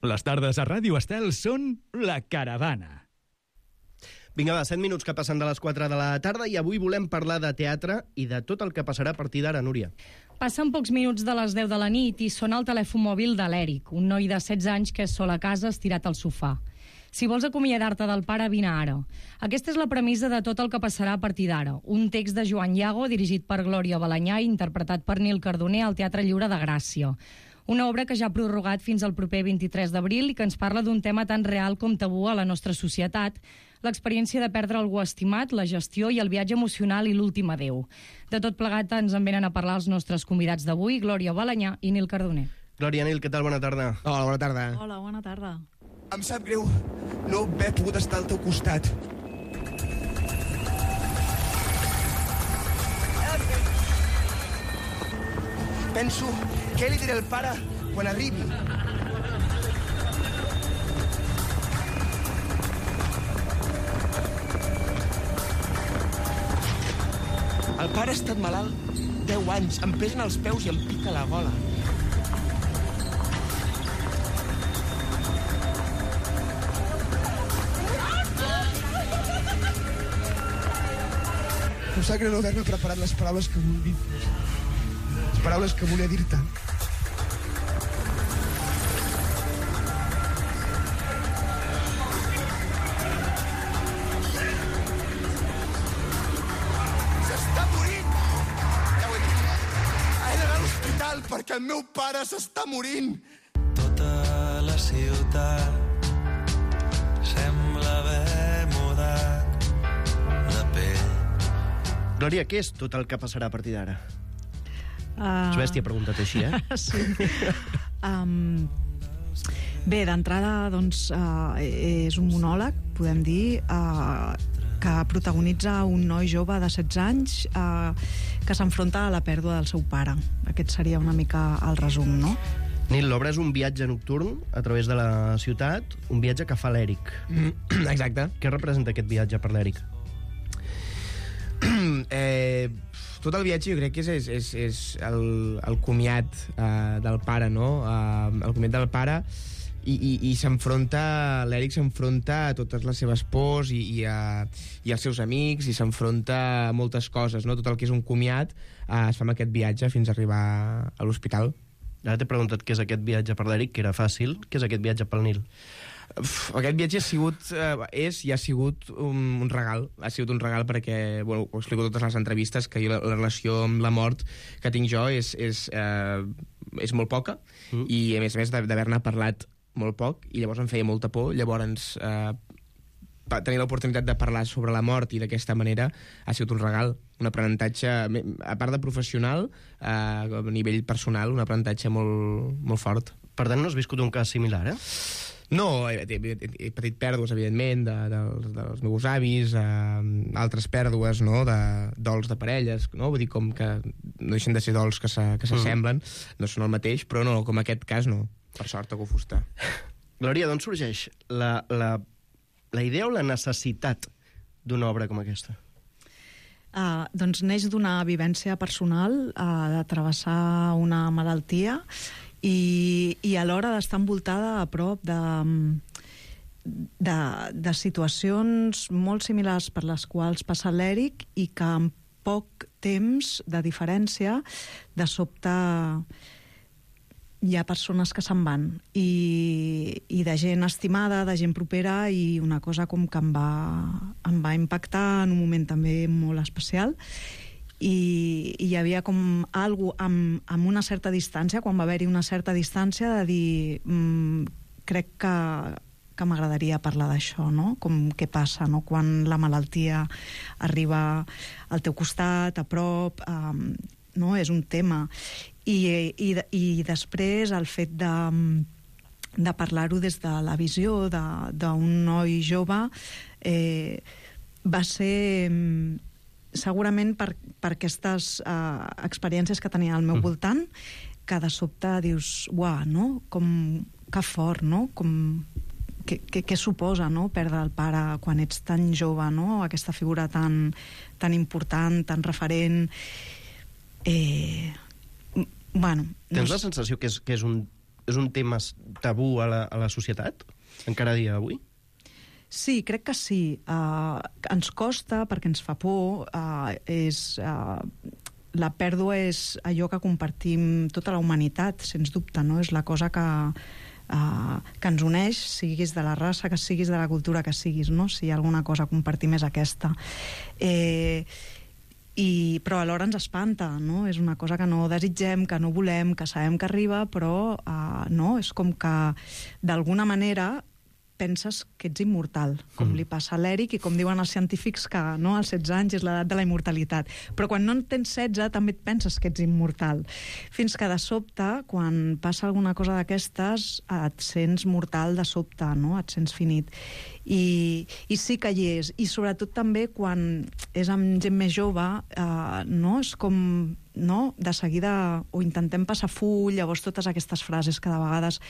Les tardes a Ràdio Estel són La Caravana. Vinga, va, 7 minuts que passen de les 4 de la tarda i avui volem parlar de teatre i de tot el que passarà a partir d'ara, Núria. Passen pocs minuts de les 10 de la nit i sona el telèfon mòbil de l'Eric, un noi de 16 anys que és sol a casa estirat al sofà. Si vols acomiadar-te del pare, vine ara. Aquesta és la premissa de tot el que passarà a partir d'ara. Un text de Joan Iago, dirigit per Glòria Balanyà i interpretat per Nil Cardoner al Teatre Lliure de Gràcia. Una obra que ja ha prorrogat fins al proper 23 d'abril i que ens parla d'un tema tan real com tabú a la nostra societat, l'experiència de perdre algú estimat, la gestió i el viatge emocional i l'últim adéu. De tot plegat ens en venen a parlar els nostres convidats d'avui, Glòria Balanyà i Nil Cardoner. Glòria, Nil, què tal? Bona tarda. Hola, bona tarda. Hola, bona tarda. Em sap greu no haver pogut estar al teu costat. Penso, què li diré al pare quan arribi? El pare ha estat malalt 10 anys, em pesen els peus i em pica la gola. Em sap greu no haver-me preparat les paraules que vull dir. Les paraules que volia dir-te. S'està morint! Ja ho he dit. He d'anar a l'hospital perquè el meu pare s'està morint. Tota la ciutat sembla haver mudat de pell. Glòria, què és tot el que passarà a partir d'ara? És bèstia preguntat així, Sí. Bé, d'entrada, doncs, és un monòleg, podem dir, que protagonitza un noi jove de 16 anys que s'enfronta a la pèrdua del seu pare. Aquest seria una mica el resum, no? Nil, l'obra és un viatge nocturn a través de la ciutat, un viatge que fa l'Eric. Exacte. Què representa aquest viatge per l'Eric? Tot el viatge jo crec que és el comiat del pare, no? El comiat del pare i s'enfronta, l'Eric s'enfronta a totes les seves pors i als seus amics i s'enfronta a moltes coses, no? Tot el que és un comiat es fa amb aquest viatge fins a arribar a l'hospital. Ara t'he preguntat què és aquest viatge per l'Eric, que era fàcil. Què és aquest viatge pel Nil? Aquest viatge ha sigut un regal. Ha sigut un regal perquè, bueno, ho explico totes les entrevistes, que jo, la relació amb la mort que tinc jo és molt poca i a més d'haver-ne parlat molt poc, i llavors em feia molta por. Llavors tenir l'oportunitat de parlar sobre la mort i d'aquesta manera ha sigut un regal, un aprenentatge, a part de professional, a nivell personal, un aprenentatge molt, molt fort. Per tant, no has viscut un cas similar, No, he patit pèrdues, evidentment, dels meus avis, altres pèrdues, no?, de dols de parelles, no? Vull dir, com que no deixen de ser dols que s'assemblen, no són el mateix, però no, com aquest cas no, per sort a Fusta. Glòria, d'on sorgeix la idea o la necessitat d'una obra com aquesta? Doncs neix d'una vivència personal, de travessar una malaltia i alhora d'estar envoltada a prop de situacions molt similars per les quals passa l'Eric i que en poc temps de diferència de sobte hi ha persones que se'n van i de gent estimada, de gent propera, i una cosa com que em va impactar en un moment també molt especial. I hi havia com algo amb una certa distància, quan va haver-hi una certa distància, de dir crec que m'agradaria parlar d'això, no? Com què passa, no? Quan la malaltia arriba al teu costat, a prop, no? És un tema. I després el fet de parlar-ho des de la visió d'un noi jove va ser segurament per aquestes experiències que tenia al meu voltant, que de sobte dius, uah, no? Com que fort, no? Com què suposa, no?, perdre el pare quan ets tan jove, no? Aquesta figura tan important, tan referent. Bueno, Tens la sensació que és és un tema tabú a la societat, encara a dia d'avui? Sí, crec que sí. Ens costa perquè ens fa por. La pèrdua és allò que compartim tota la humanitat, sens dubte, no? És la cosa que ens uneix, siguis de la raça que siguis, de la cultura que siguis, no? Si hi ha alguna cosa a compartir més aquesta. Però alhora ens espanta, no? És una cosa que no desitgem, que no volem, que sabem que arriba, però no, és com que d'alguna manera penses que ets immortal, com li passa a l'Eric i com diuen els científics que no, als 16 anys és l'edat de la immortalitat. Però quan no en tens 16 també et penses que ets immortal. Fins que de sobte, quan passa alguna cosa d'aquestes, et sents mortal de sobte, no? Et sents finit. I sí que hi és. I sobretot també quan és amb gent més jove, no? És com, no? De seguida o intentem passar full, llavors totes aquestes frases que de vegades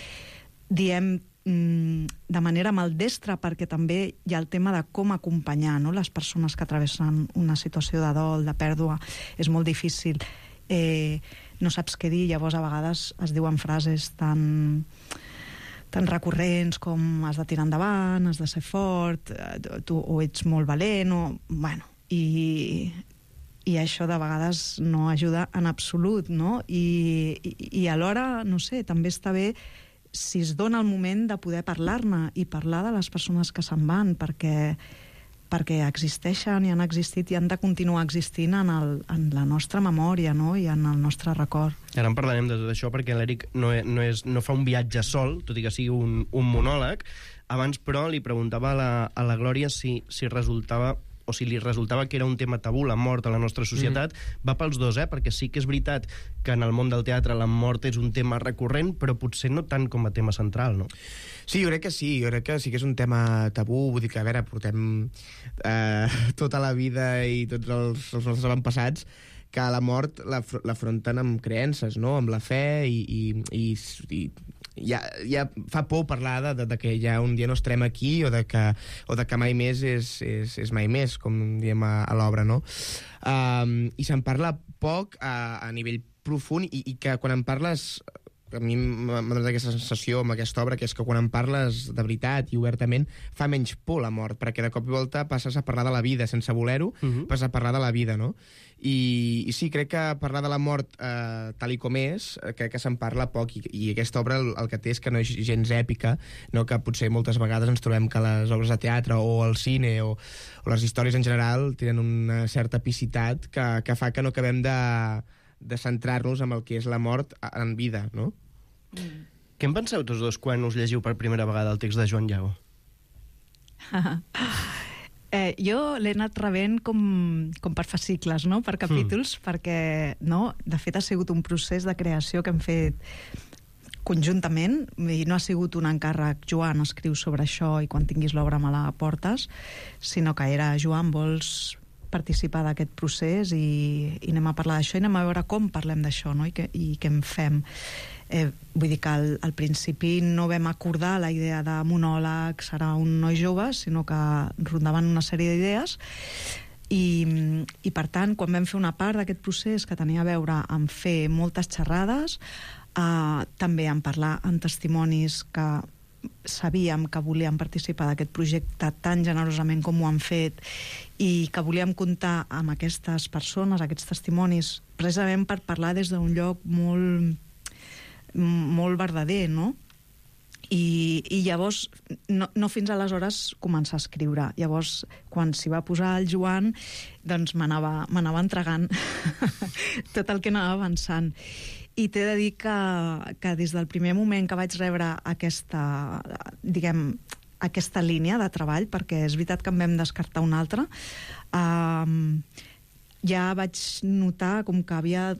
diem de manera maldestra, perquè també hi ha el tema de com acompanyar, no? Les persones que travessen una situació de dol, de pèrdua. És molt difícil. No saps què dir, llavors a vegades es diuen frases tan recurrents com has de tirar endavant, has de ser fort, o ets molt valent, bueno, i això de vegades no ajuda en absolut, no? I alhora, no sé, també està bé si es dona el moment de poder parlar-ne i parlar de les persones que se'n van, perquè existeixen i han existit i han de continuar existint en la nostra memòria, no? I en el nostre record. Ara en parlarem de tot això perquè l'Eric no fa un viatge sol, tot i que sigui un monòleg. Abans, però, li preguntava a la Glòria si resultava o si li resultava que era un tema tabú, la mort a la nostra societat. Va pels dos, perquè sí que és veritat que en el món del teatre la mort és un tema recurrent, però potser no tant com a tema central, no? Sí, jo crec que sí que és un tema tabú, vull dir que, a veure, portem tota la vida i tots els nostres avantpassats que la mort l'afronten amb creences, no? Amb la fe i ja fa por parlar de que ja un dia no estarem aquí o de que mai més és mai més, com diem a l'obra, no? I se'n parla poc a nivell profund i que quan en parles... A mi m'ha donat aquesta sensació amb aquesta obra, que és que quan en parles de veritat i obertament fa menys por la mort, perquè de cop i volta passes a parlar de la vida sense voler-ho, passes a parlar de la vida, no? I sí, crec que parlar de la mort tal i com és, crec que se'n parla poc, i aquesta obra el que té és que no és gens èpica, no? Que potser moltes vegades ens trobem que les obres de teatre o el cine o les històries en general tenen una certa epicitat que fa que no acabem de centrar-nos en el que és la mort en vida, no? Què en penseu tots dos quan us llegiu per primera vegada el text de Joan Llago? Jo l'he anat rebent com per fascicles, no? Per capítols, perquè, no? De fet, ha sigut un procés de creació que hem fet conjuntament, i no ha sigut un encàrrec, Joan, escriu sobre això i quan tinguis l'obra me la portes, sinó que era, Joan, vols participar d'aquest procés i anem a parlar d'això i anem a veure com parlem d'això, no? I què en fem. Vull dir que al principi no vam acordar la idea de monòleg, serà un noi jove, sinó que rondaven una sèrie d'idees i per tant, quan vam fer una part d'aquest procés que tenia a veure amb fer moltes xerrades, també en parlar en testimonis que sabíem que volíem participar d'aquest projecte tan generosament com ho han fet i que volíem comptar amb aquestes persones, aquests testimonis, precisament per parlar des d'un lloc molt verdader, no? I llavors, no fins aleshores començar a escriure. Llavors, quan s'hi va posar el Joan, doncs m'anava entregant tot el que anava avançant. I t'he de dir que des del primer moment que vaig rebre aquesta línia de treball, perquè és veritat que en vam descartar una altra, ja vaig notar com que havia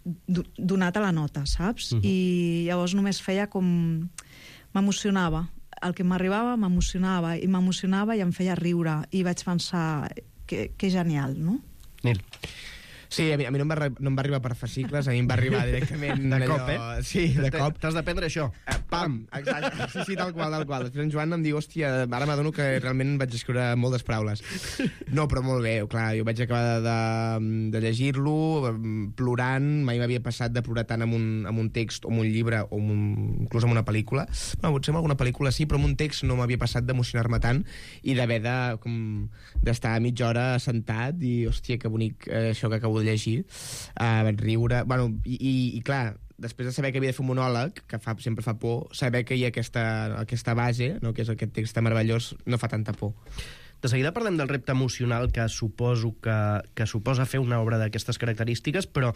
donat a la nota, saps? I llavors només feia com... m'emocionava. El que m'arribava m'emocionava i em feia riure. I vaig pensar que genial, no? Nil. Sí, a mi no em va arribar per fascicles, a mi em va arribar directament... De allò... cop, Sí, de cop. T'has d'aprendre això. Pam! Exacte. Sí, tal qual. Després en Joan em diu, hòstia, ara m'adono que realment vaig escriure moltes paraules. No, però molt bé, clar, jo vaig acabar de llegir-lo, plorant, mai m'havia passat de plorar tant amb un text, o amb un llibre, o inclús amb una pel·lícula. No, potser amb alguna pel·lícula sí, però amb un text no m'havia passat d'emocionar-me tant i d'haver d'estar mitja hora sentat i, hòstia, que bonic això que acabo de llegir. Vaig riure... Bueno, i clar, després de saber que havia de fer un monòleg, que sempre fa por, saber que hi ha aquesta base, no, que és aquest text meravellós, no fa tanta por. De seguida parlem del repte emocional que suposo que suposa fer una obra d'aquestes característiques, però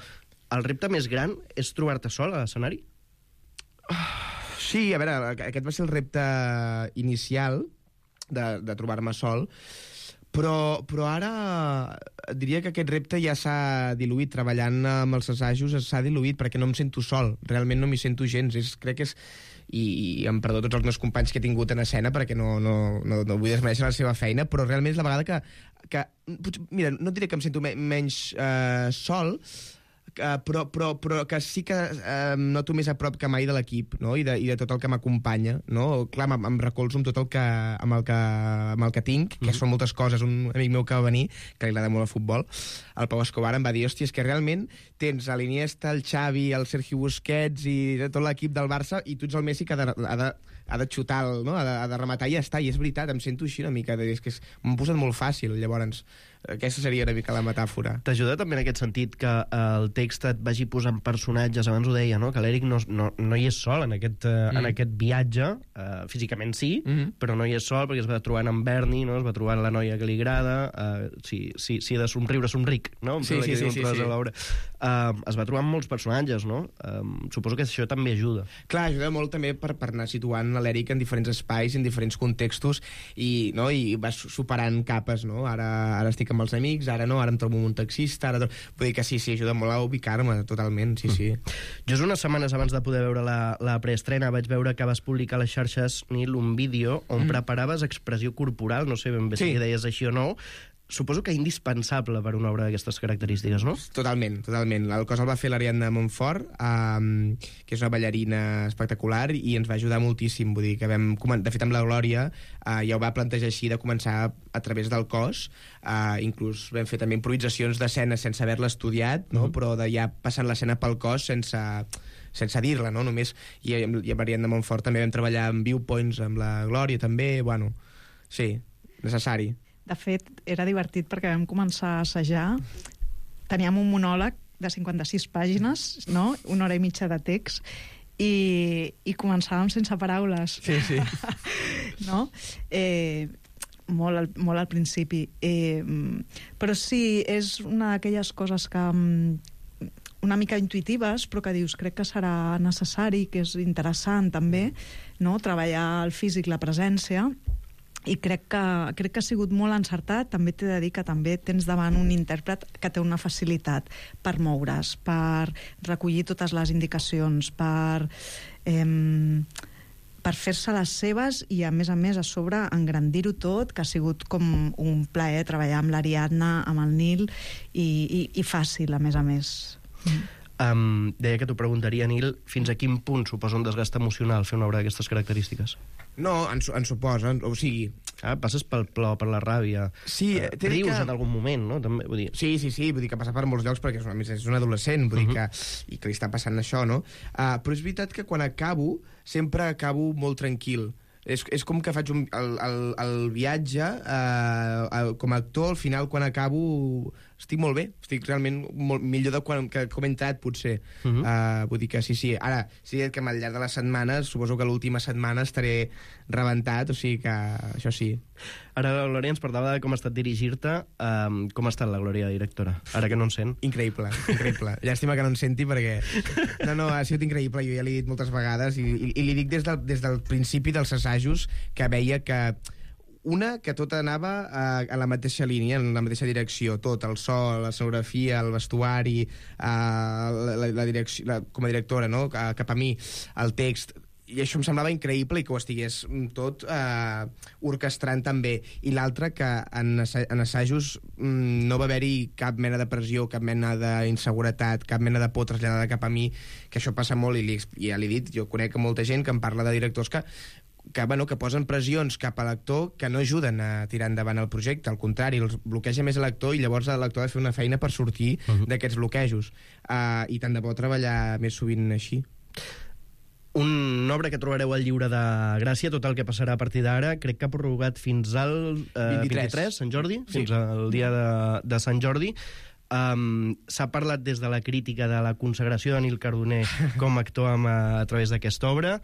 el repte més gran és trobar-te sol a l'escenari? Sí, a veure, aquest va ser el repte inicial de trobar-me sol, però ara diria que aquest repte ja s'ha diluït. Treballant amb els assajos s'ha diluït perquè no em sento sol, realment no m'hi sento gens. Crec que és... I em perdó tots els meus companys que he tingut en escena perquè no vull desmereixer la seva feina, però realment és la vegada que mira, no diré que em sento menys sol, però que sí que em noto més a prop que mai de l'equip, no? I de tot el que m'acompanya, no? Clar, em recolzo amb tot el que tinc, que són moltes coses. Un amic meu que va venir, que li agrada molt el futbol, el Pau Escobar, em va dir, hòstia, és que realment tens a l'Iniesta, el Xavi, el Sergio Busquets i tot l'equip del Barça, i tu ets el Messi que ha de xutar, no? ha de rematar i ja està. I és veritat, em sento així una mica, és que m'ho posat molt fàcil. Llavors, aquesta seria una mica la metàfora. T'ajuda també en aquest sentit que el text et vagi posant personatges, abans ho deia, no? Que l'Eric no hi és sol en aquest viatge, físicament sí, però no hi és sol perquè es va trobant amb Bernie, no? Es va trobant la noia que li agrada, si he de somriure, somric, no? Sí. Es va trobant molts personatges, no? Suposo que això també ajuda. Clar, ajuda molt també per anar situant l'Eric en diferents espais, en diferents contextos, i vas superant capes, no? Ara estic amb els amics, ara no, ara em trobo amb un taxista, vull dir que sí, ajuda molt a ubicar-me totalment, sí. Just unes setmanes abans de poder veure la preestrena vaig veure que vas publicar a les xarxes, Nil, un vídeo on preparaves expressió corporal, no sé ben bé si deies així o no. Suposo que indispensable per una obra d'aquestes característiques, no? Totalment. El cos el va fer l'Ariadna Montfort, que és una ballarina espectacular, i ens va ajudar moltíssim. Vull dir que de fet, amb la Glòria ja ho va plantejar així, de començar a través del cos. Inclús vam fer també improvisacions d'escena sense haver-la estudiat, no? Però de ja passant l'escena pel cos sense dir-la, no? Només. I amb l'Ariadna Montfort també vam treballar amb viewpoints, amb la Glòria també, bueno, sí, necessari. De fet, era divertit perquè vam començar a assajar. Teníem un monòleg de 56 pàgines, no? 1 hora i mitja de text, i començàvem sense paraules. Sí. No? Molt al principi. Però sí, és una d'aquelles coses que una mica intuitives, però que dius, crec que serà necessari, que és interessant també, no? Treballar el físic, la presència, i crec que ha sigut molt encertat. També t'he de dir que també tens davant un intèrpret que té una facilitat per moure's, per recollir totes les indicacions, per fer-se les seves i, a més, a sobre, engrandir-ho tot, que ha sigut com un plaer treballar amb l'Ariadna, amb el Nil, i fàcil, a més. Deia que t'ho preguntaria, Nil, fins a quin punt suposa un desgast emocional fer una obra d'aquestes característiques? No, en suposa, o sigui... passes pel plor, per la ràbia. Sí, rius en algun moment, no? També, vull dir... Sí, vull dir que passa per molts llocs perquè és un adolescent, vull dir que li està passant això, no? Però és veritat que quan acabo, sempre acabo molt tranquil. És com que faig el viatge com a actor, al final, quan acabo, estic molt bé, estic realment molt millor de com he entrat, potser. Vull dir que sí. Ara, sí que al llarg de les setmanes, suposo que l'última setmana estaré rebentat, o sigui que això sí. Ara la Glòria ens parlava de com ha estat dirigir-te. Com ha estat la Glòria, directora? Ara que no en sent. Increïble. Llàstima que no en senti perquè... No, ha sigut increïble, jo ja l'he dit moltes vegades i li dic des del principi dels assajos que veia que que tot anava a la mateixa línia, en la mateixa direcció, tot, el so, la escenografia, el vestuari, la direcció, com a directora, no? Cap a mi, el text, I això em semblava increïble i que ho estigués tot orquestrant també. I l'altre, que en assajos no va haver-hi cap mena de pressió, cap mena d'inseguretat, cap mena de por traslladada cap a mi, que això passa molt, i ja l'he dit, jo conec molta gent que em parla de directors que posen pressions cap a l'actor que no ajuden a tirar endavant el projecte, al contrari, els bloqueja més l'actor, i llavors l'actor ha de fer una feina per sortir d'aquests bloquejos. I tant de bo treballar més sovint així. Una obra que trobareu al llibre de Gràcia, tot el que passarà a partir d'ara, crec que ha prorrogat fins al 23, Sant Jordi, fins al dia de Sant Jordi. S'ha parlat des de la crítica de la consagració de Nil Cardoner com a actor a través d'aquesta obra.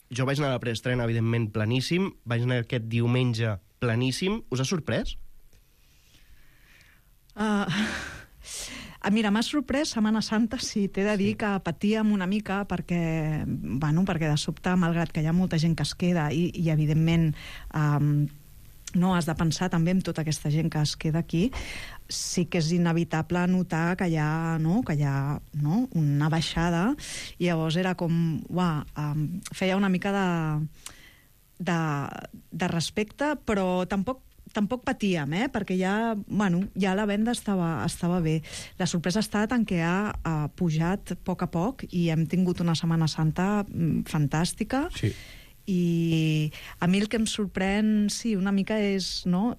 Jo vaig anar a la preestrena, evidentment, planíssim. Vaig anar aquest diumenge planíssim. Us ha sorprès? Mira, m'ha sorprès Setmana Santa, sí, t'he de dir que patíem una mica perquè de sobte, malgrat que hi ha molta gent que es queda i evidentment has de pensar també en tota aquesta gent que es queda aquí, sí que és inevitable notar que hi ha una baixada, i llavors era com, feia una mica de respecte, però tampoc patíem, perquè ja la venda estava bé. La sorpresa ha estat en què ha pujat a poc i hem tingut una Setmana Santa fantàstica. Sí. I a mi el que em sorprèn, sí, una mica és, no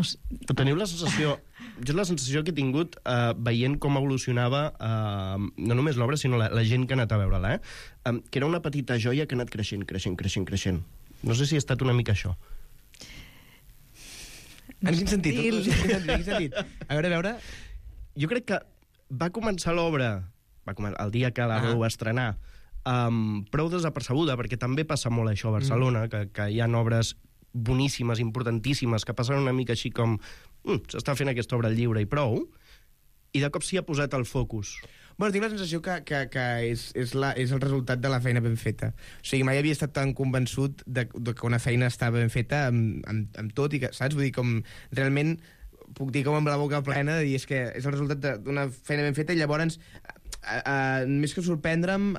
sé. Teniu la sensació... Jo la sensació que he tingut veient com evolucionava no només l'obra, sinó la gent que ha anat a veure-la, que era una petita joia que ha anat creixent. No sé si ha estat una mica això. En quin sentit? A veure... Jo crec que va començar l'obra, el dia que la vau estrenar, prou desapercebuda, perquè també passa molt això a Barcelona, que hi ha obres boníssimes, importantíssimes, que passen una mica així com s'està fent aquesta obra al lliure i prou, i de cop s'hi ha posat el focus. Bueno, tinc la sensació que és el resultat de la feina ben feta. O sigui, mai havia estat tan convençut de que una feina estava ben feta amb tot, i que, saps? Vull dir, com realment puc dir com amb la boca plena, de dir, és que és el resultat d'una feina ben feta, i llavors més que sorprendre'm,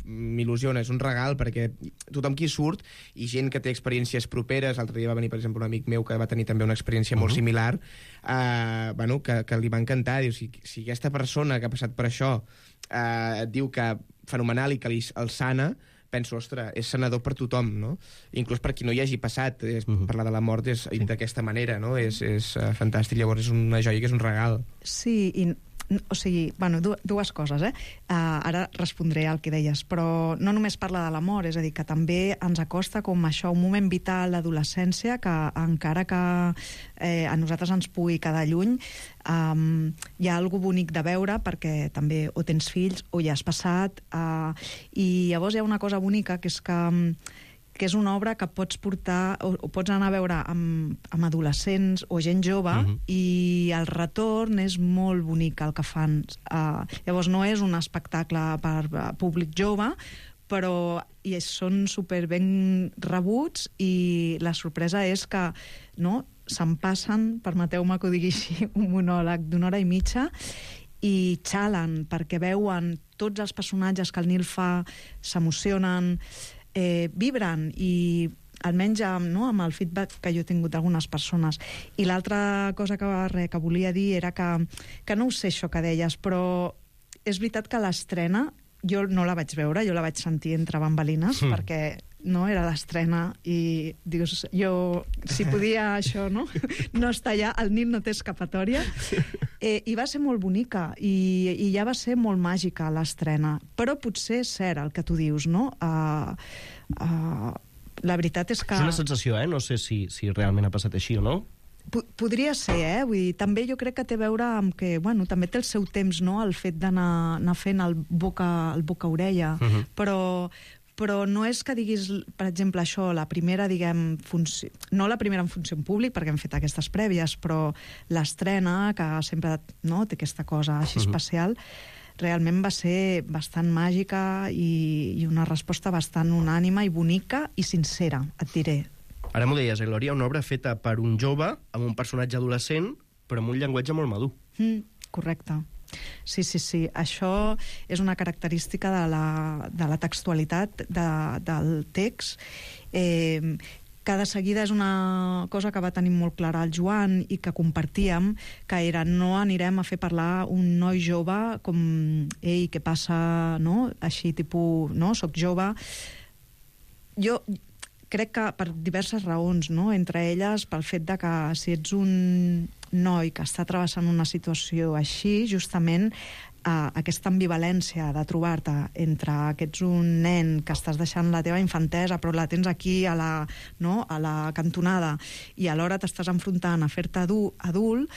m'il·lusiona, és un regal, perquè tothom qui surt, i gent que té experiències properes, l'altre dia va venir, per exemple, un amic meu que va tenir també una experiència molt similar, que li va encantar. Diu, si aquesta persona que ha passat per això et diu que fenomenal i que el sana, penso, ostres, és sanador per tothom, no? Inclús per qui no hi hagi passat. Parlar de la mort d'aquesta manera, no? És fantàstic, llavors és una joia que és un regal. Sí, o sigui, dues coses, ara respondré al que deies, però no només parla de l'amor, és a dir, que també ens acosta com això, un moment vital, l'adolescència, que encara que a nosaltres ens pugui quedar lluny, hi ha alguna bonic de veure, perquè també o tens fills o ja has passat, i llavors hi ha una cosa bonica, que és que és una obra que pots portar o pots anar a veure amb adolescents o gent jove, i el retorn és molt bonic el que fan. Llavors no és un espectacle per públic jove, però són super ben rebuts, i la sorpresa és que se'n passen, permeteu-me que ho digui així, un monòleg d'una hora i mitja, i xalen, perquè veuen tots els personatges que el Nil fa, s'emocionen, vibren, i almenys amb el feedback que jo he tingut d'algunes persones. I l'altra cosa que volia dir era que no ho sé això que deies, però és veritat que l'estrena jo no la vaig veure, jo la vaig sentir entre bambalines, perquè era l'estrena, i dius, jo, si podia això, no estar allà, el Nil no té escapatòria, i va ser molt bonica, i ja va ser molt màgica l'estrena, però potser és cert el que tu dius, no? La veritat és que... És una sensació, no sé si realment ha passat així o no. Podria ser, vull dir, també jo crec que té a veure amb que, també té el seu temps, no?, el fet d'anar fent el boca-orella, però no és que diguis, per exemple, això, la primera, diguem, no la primera en funció en públic, perquè hem fet aquestes prèvies, però l'estrena, que sempre té aquesta cosa així especial, realment va ser bastant màgica i una resposta bastant unànima i bonica i sincera, et diré. Ara m'ho deies, Glòria, una obra feta per un jove, amb un personatge adolescent, però amb un llenguatge molt madur. Correcte. Sí. Això és una característica de la textualitat del text. Que de seguida és una cosa que va tenir molt clara el Joan i que compartíem, que era no anirem a fer parlar un noi jove com ei, què passa, no? Així, tipus, no? Soc jove. Jo crec que per diverses raons, no? Entre elles pel fet de que si ets un noi que està travessant una situació així, justament aquesta ambivalència de trobar-te entre que ets un nen que estàs deixant la teva infantesa però la tens aquí a la cantonada i alhora t'estàs enfrontant a fer-te adult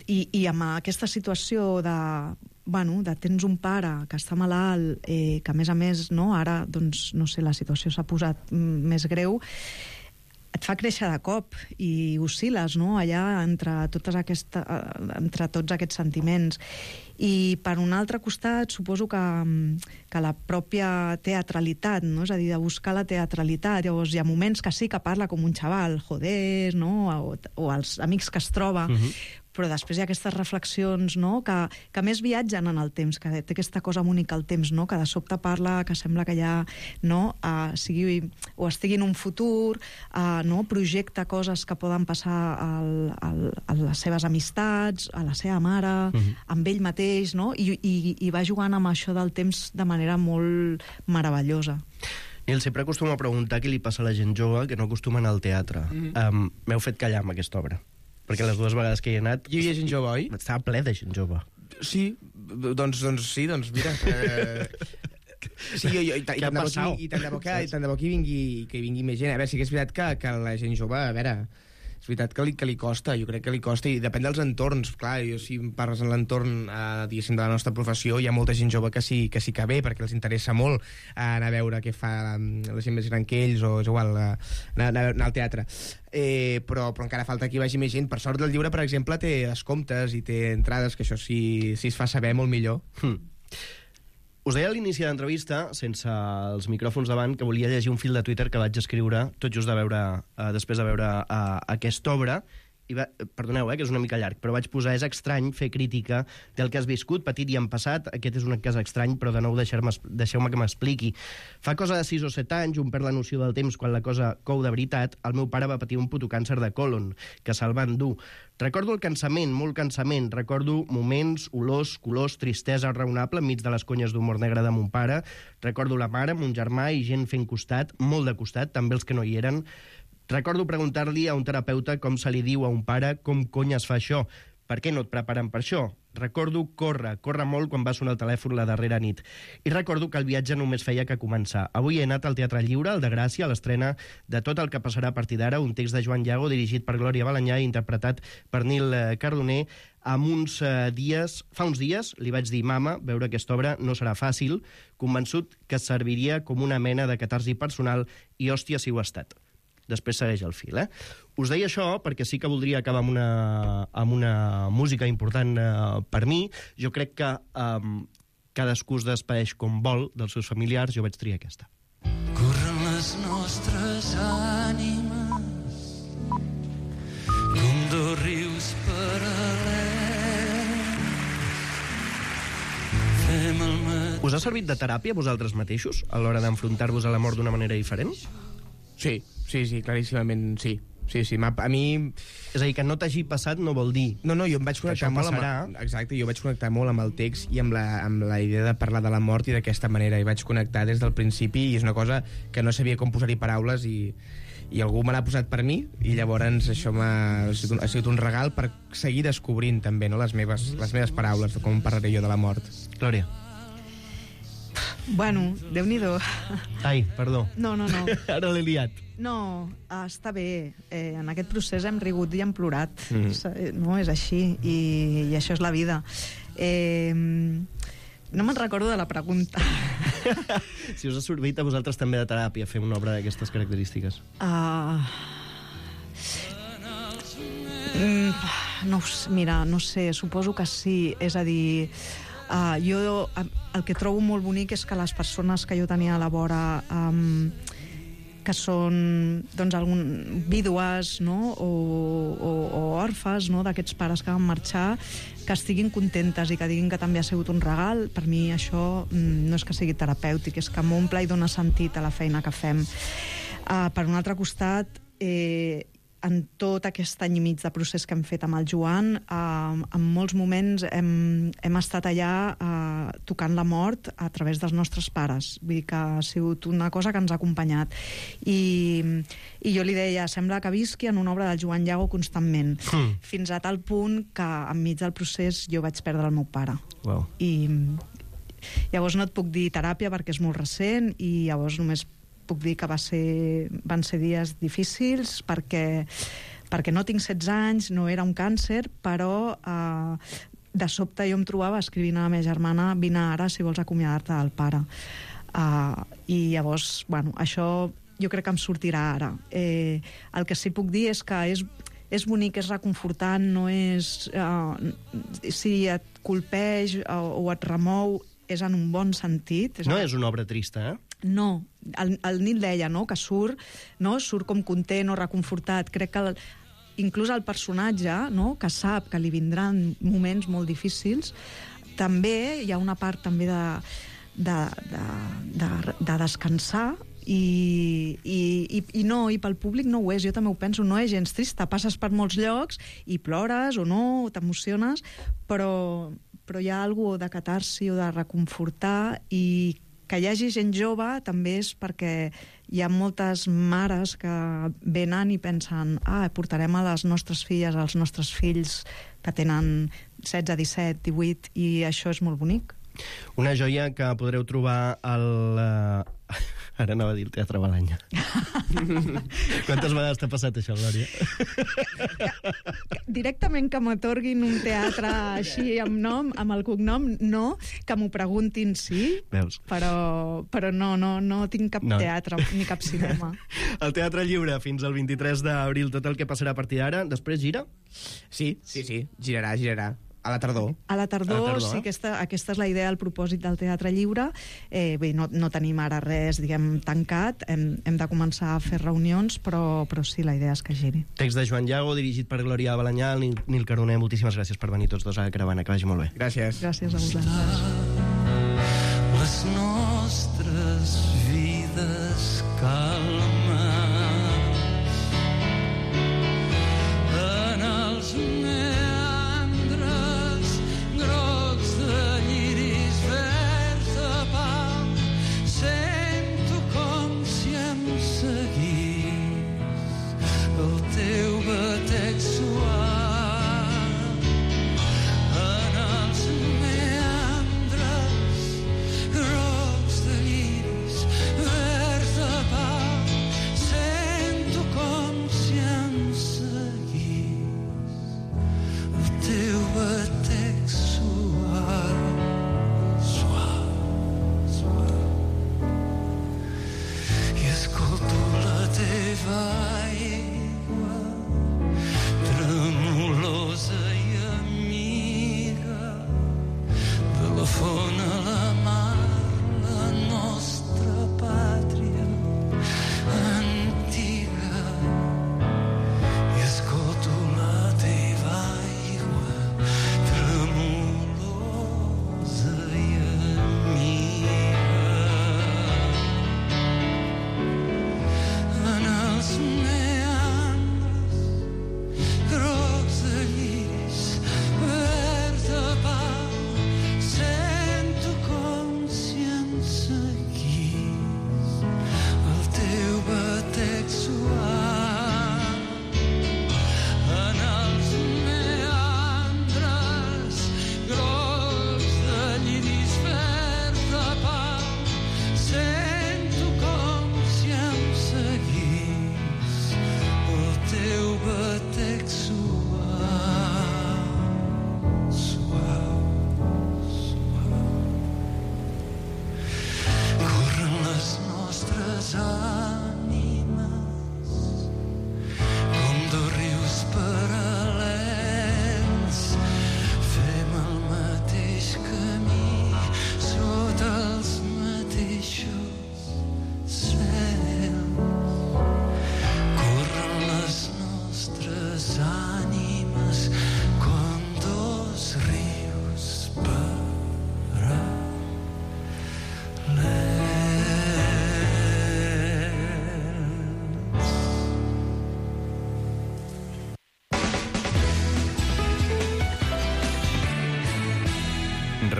i amb aquesta situació de tens un pare que està malalt, que a més, no, ara, doncs, no sé, la situació s'ha posat més greu, et fa créixer de cop i oscil·les, no?, allà entre tots aquests sentiments. I per un altre costat suposo que la pròpia teatralitat, no?, és a dir, de buscar la teatralitat. Llavors hi ha moments que sí que parla com un xaval, joder, no?, o els amics que es troba, però després hi ha aquestes reflexions, no?, que més viatgen en el temps, que té aquesta cosa única al temps, no?, que de sobte parla, que sembla que ja, no?, estigui en un futur, no?, projecta coses que poden passar a les seves amistats, a la seva mare, amb ell mateix, no?, i va jugant amb això del temps de manera molt meravellosa. Nil, sempre acostumo a preguntar què li passa a la gent jove que no acostuma a anar al teatre. M'heu fet callar amb aquesta obra. Perquè les dues vegades que hi he anat... Hi havia gent jove, oi? Estava ple de gent jove. Sí, doncs mira... Sí, i tant de bo que hi vingui més gent. A veure, sí que és veritat que la gent jove, a veure, és veritat que li costa, jo crec que li costa, i depèn dels entorns. Clar, si parles en l'entorn, diguéssim, de la nostra professió, hi ha molta gent jove que sí que ve, perquè els interessa molt anar a veure què fa la gent més gran que ells, o és igual, anar al teatre. Però encara falta que hi vagi més gent. Per sort, el llibre, per exemple, té descomptes i té entrades, que això si es fa saber molt millor. Us deia a l'inici de l'entrevista, sense els micròfons davant, que volia llegir un fil de Twitter que vaig escriure tot just després de veure aquesta obra. Perdoneu, que és una mica llarg, però vaig posar: és estrany fer crítica del que has viscut, patit i en passat. Aquest és un cas estrany, però de nou deixeu-me que m'expliqui. Fa cosa de 6 o 7 anys, un perd la noció del temps quan la cosa cou de veritat. El meu pare va patir un puto càncer de còlon, que se'l van dur. Recordo el cansament, molt cansament. Recordo moments, olors, colors, tristesa raonable enmig de les conyes d'humor negre de mon pare. Recordo la mare, mon germà i gent fent costat, molt de costat, també els que no hi eren. Recordo preguntar-li a un terapeuta com se li diu a un pare com cony es fa això. Per què no et preparen per això? Recordo córrer molt quan va sonar el telèfon la darrera nit. I recordo que el viatge només feia que començar. Avui he anat al Teatre Lliure, al de Gràcia, a l'estrena de Tot el que passarà a partir d'ara, un text de Joan Llago dirigit per Glòria Balañà i interpretat per Nil Cardoner. Fa uns dies li vaig dir: mama, veure aquesta obra no serà fàcil, convençut que serviria com una mena de catarsi personal, i hòstia si ho ha estat. Després segueix el fil, Us deia això perquè sí que voldria acabar amb una música important per mi. Jo crec que cadascú es despedeix com vol dels seus familiars. Jo vaig triar aquesta. Corren les nostres ànimes com dos rius paral·lels. Fem el mateix. Us ha servit de teràpia vosaltres mateixos a l'hora d'enfrontar-vos a la mort d'una manera diferent? Sí, claríssimament sí. Sí, a mi... És a dir, que no t'hagi passat no vol dir... No, jo em vaig connectar molt exacte, jo vaig connectar molt amb el text i amb la idea de parlar de la mort i d'aquesta manera. I vaig connectar des del principi i és una cosa que no sabia com posar-hi paraules i algú me l'ha posat per mi i llavors això ha sigut un regal per seguir descobrint també, no, les meves paraules, de com parlaré jo de la mort. Glòria. Bueno, Déu-n'hi-do. Ai, perdó. No. Ara l'he liat. No, està bé. En aquest procés hem rigut i hem plorat. No, és així. I això és la vida. No me'n recordo de la pregunta. Si us ha servit a vosaltres també de teràpia fer una obra d'aquestes característiques. Mira, no sé, suposo que sí. És a dir... jo el que trobo molt bonic és que les persones que jo tenia a la vora que són doncs, vídues, no? o orfes, no? d'aquests pares que van marxar, que estiguin contentes i que diguin que també ha sigut un regal. Per mi això no és que sigui terapèutic, és que m'omple i dona sentit a la feina que fem. Per un altre costat, en tot aquest any i mig de procés que hem fet amb el Joan, en molts moments hem estat allà tocant la mort a través dels nostres pares. Vull dir que ha sigut una cosa que ens ha acompanyat. I jo li deia, sembla que visqui en una obra del Joan Llago constantment, fins a tal punt que enmig del procés jo vaig perdre el meu pare. Wow. I llavors no et puc dir teràpia perquè és molt recent, i llavors només puc dir que van ser dies difícils perquè no tinc 16 anys, no era un càncer, però de sobte jo em trobava escrivint a la meva germana: vine ara si vols acomiadar-te del pare. I llavors, bueno, això jo crec que em sortirà ara. El que sí puc dir és que és bonic, és reconfortant, no és... si et colpeix o et remou, és en un bon sentit. No és una obra trista, eh? No, el Nil deia, no?, que surt com content o reconfortat. Crec que inclús el personatge, no?, que sap que li vindran moments molt difícils, també hi ha una part també de descansar, i pel públic no ho és. Jo també ho penso, no és gens trista, passes per molts llocs i plores o no, o t'emociones, però hi ha alguna cosa de catarsi o de reconfortar. I que hi hagi gent jove també és perquè hi ha moltes mares que venen i pensen: portarem a les nostres filles, als nostres fills que tenen 16, 17, 18, i això és molt bonic. Una joia que podreu trobar al... Ara anava a dir el Teatre Balanya. Quantes vegades t'ha passat això, Glòria? Directament que m'atorguin un teatre així amb nom, amb el cognom, no. Que m'ho preguntin, sí. Veus? Però no tinc cap teatre ni cap cinema. El Teatre Lliure fins al 23 d'abril, tot el que passarà a partir d'ara. Després gira? Sí, girarà. A la tardor. A la tardor, sí, aquesta és la idea, el propòsit del Teatre Lliure. No tenim ara res, diguem, tancat. Hem de començar a fer reunions, però sí, la idea és que giri. Text de Joan Llago, dirigit per Glòria Balanyà, Nil Caroner. Moltíssimes gràcies per venir tots dos a la Caravana. Que vagi molt bé. Gràcies. Gràcies a vosaltres. Les nostres vides calmes en els meus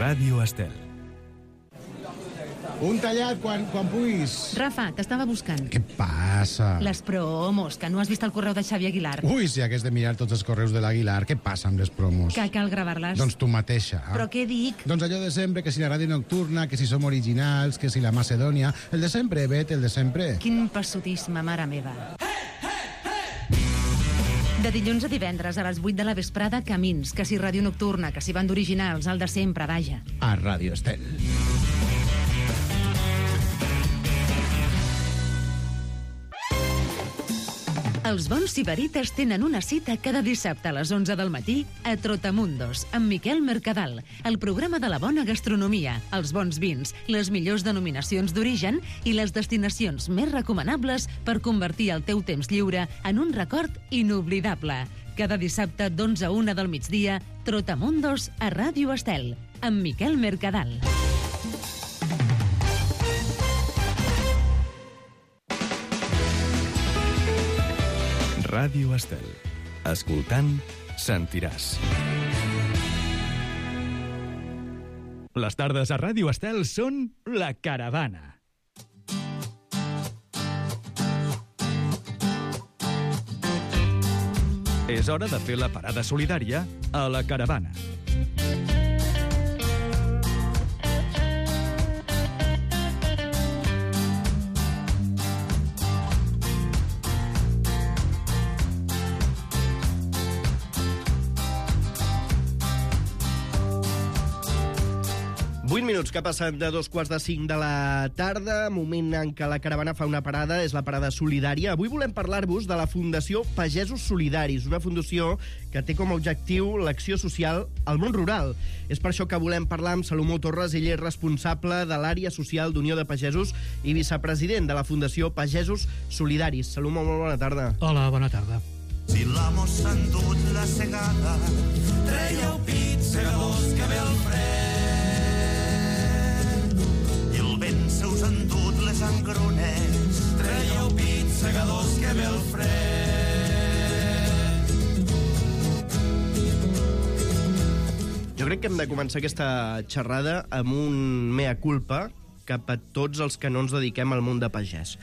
Ràdio Estel. Un tallat quan puguis. Rafa, t'estava buscant. Què passa? Les promos, que no has vist el correu de Xavi Aguilar. Ui, si hagués de mirar tots els correus de l'Aguilar, què passa amb les promos? Que cal gravar-les. Doncs tu mateixa. Però què dic? Doncs allò de sempre, que si la ràdio nocturna, que si som originals, que si la Macedònia... El de sempre, Bet, el de sempre. Quin passotisme, mare meva. De dilluns a divendres a les 8 de la vesprada, Camins, que si ràdio nocturna, que si banda originals, el de sempre, vaja. A Ràdio Estel. Els bons sibarites tenen una cita cada dissabte a les 11 del matí a Trotamundos, amb Miquel Mercadal, el programa de la bona gastronomia, els bons vins, les millors denominacions d'origen i les destinacions més recomanables per convertir el teu temps lliure en un record inoblidable. Cada dissabte d'11 a 1 del migdia, Trotamundos a Ràdio Estel, amb Miquel Mercadal. Ràdio Estel. Escoltant, sentiràs. Les tardes a Ràdio Estel són La Caravana. És hora de fer la parada solidària a La Caravana. Minuts que ha passat de 4:45 de la tarda, moment en què la caravana fa una parada, és la parada solidària. Avui volem parlar-vos de la Fundació Pagesos Solidaris, una fundació que té com a objectiu l'acció social al món rural. És per això que volem parlar amb Salomó Torres, ell és responsable de l'àrea social d'Unió de Pagesos i vicepresident de la Fundació Pagesos Solidaris. Salomó, molt bona tarda. Hola, bona tarda. Si l'amo s'ha endut la segada, trèieu pit, segadors, que ve el fred. Se us han dut les engrunes, trèieu pit, segadors, que ve el fred. Jo crec que hem de començar aquesta xerrada amb un mea culpa cap a tots els que no ens dediquem al món de pagès.